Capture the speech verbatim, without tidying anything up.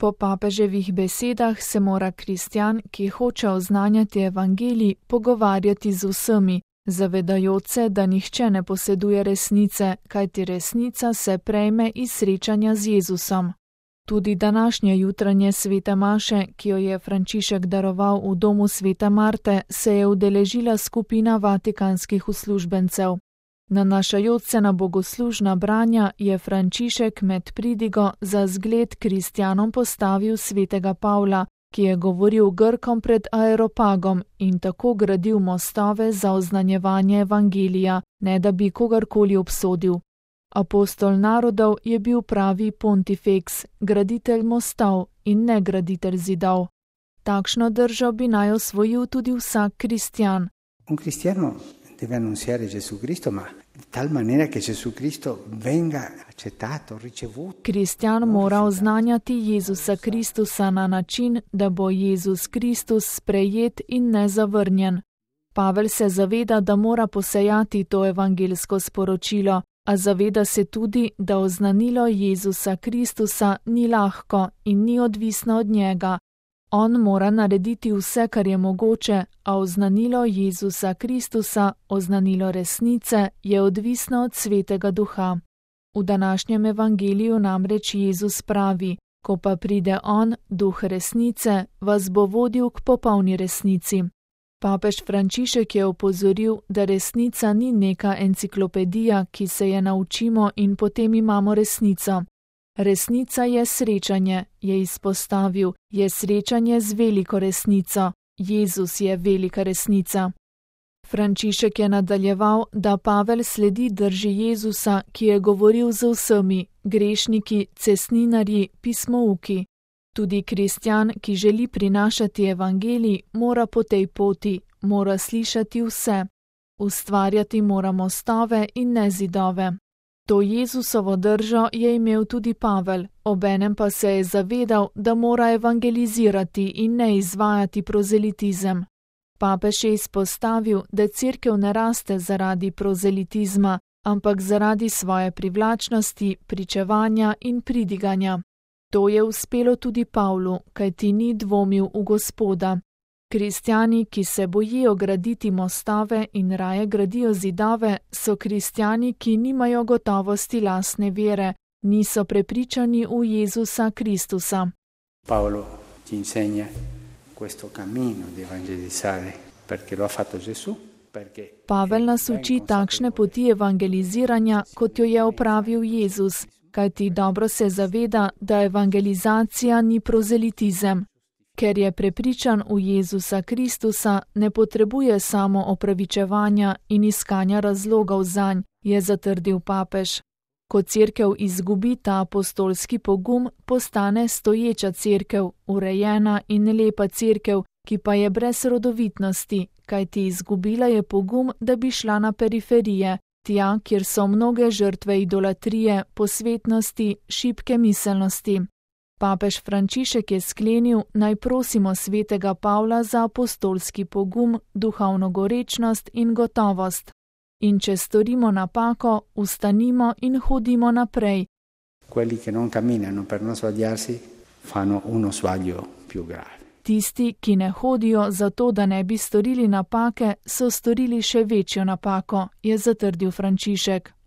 Po papeževih besedah se mora kristjan, ki hoče oznanjati evangelij, pogovarjati z vsemi, zavedajoč se, da nihče ne poseduje resnice, kajti resnica se prejme iz srečanja z Jezusom. Tudi današnje jutranje svete maše, ki jo je Frančišek daroval v domu svete Marte, se je udeležila skupina vatikanskih uslužbencev. Nanašajoč se na bogoslužna branja je Frančišek med pridigo za zgled kristjanom postavil svetega Pavla, ki je govoril Grkom pred Areopagom in tako gradil mostove za oznanjevanje evangelija, ne da bi kogarkoli obsodil. Apostol narodov je bil pravi pontifex, graditelj mostov in ne graditelj zidov. Takšno držo bi naj osvojil tudi vsak kristjan. Un cristiano deve annunziare Gesù Cristo, ma di tal maniera che Gesù Cristo venga accettato, ricevuto. Kristjan mora oznanjati Jezusa Kristusa na način, da bo Jezus Kristus sprejet in ne zavrnjen. Pavel se zaveda, da mora posejati to evangelsko sporočilo, a zaveda se tudi, da oznanilo Jezusa Kristusa ni lahko in ni odvisno od njega. On mora narediti vse, kar je mogoče, a oznanilo Jezusa Kristusa, oznanilo resnice, je odvisno od Svetega Duha. V današnjem evangeliju namreč Jezus pravi: ko pa pride On, Duh resnice, vas bo vodil k popolni resnici. Papež Frančišek je opozoril, da resnica ni neka enciklopedija, ki se je naučimo in potem imamo resnico. Resnica je srečanje, je izpostavil, je srečanje z veliko resnico. Jezus je velika resnica. Frančišek je nadaljeval, da Pavel sledi drži Jezusa, ki je govoril z vsemi, grešniki, cestninarji, pismouki. Tudi kristjan, ki želi prinašati evangelij, mora po tej poti, mora slišati vse. Ustvarjati mora mostove in ne zidove. To Jezusovo držo je imel tudi Pavel, obenem pa se je zavedal, da mora evangelizirati in ne izvajati prozelitizem. Papež je izpostavil, da cerkev ne raste zaradi prozelitizma, ampak zaradi svoje privlačnosti, pričevanja in pridiganja. To je uspelo tudi Pavlu, kajti ni dvomil v Gospoda. Kristjani, ki se bojijo graditi mostove in raje gradijo zidove, so kristjani, ki nimajo gotovosti lastne vere, niso prepričani v Jezusa Kristusa. Paolo ci insegna questo cammino di evangelizzare perché lo ha fatto Gesù. Pavel nas uči takšne poti evangeliziranja, kot jo je opravil Jezus, kajti dobro se zaveda, da evangelizacija ni prozelitizem. Ker je prepričan v Jezusa Kristusa, ne potrebuje samo opravičevanja in iskanja razlogov zanj, je zatrdil papež. Ko cerkev izgubi ta apostolski pogum, postane stoječa cerkev, urejena in lepa cerkev, ki pa je brez rodovitnosti, kajti izgubila je pogum, da bi šla na periferije, tja, kjer so mnoge žrtve idolatrije, posvetnosti, šibke miselnosti. Papež Frančišek je sklenil, naj prosimo svetega Pavla za apostolski pogum, duhovno gorečnost in gotovost. In če storimo napako, ustanimo in hodimo naprej. Quelli che non camminano per non sbagliarsi fanno uno sbaglio più grave. Tisti, ki ne hodijo zato, da ne bi storili napake, so storili še večjo napako, je zatrdil Frančišek.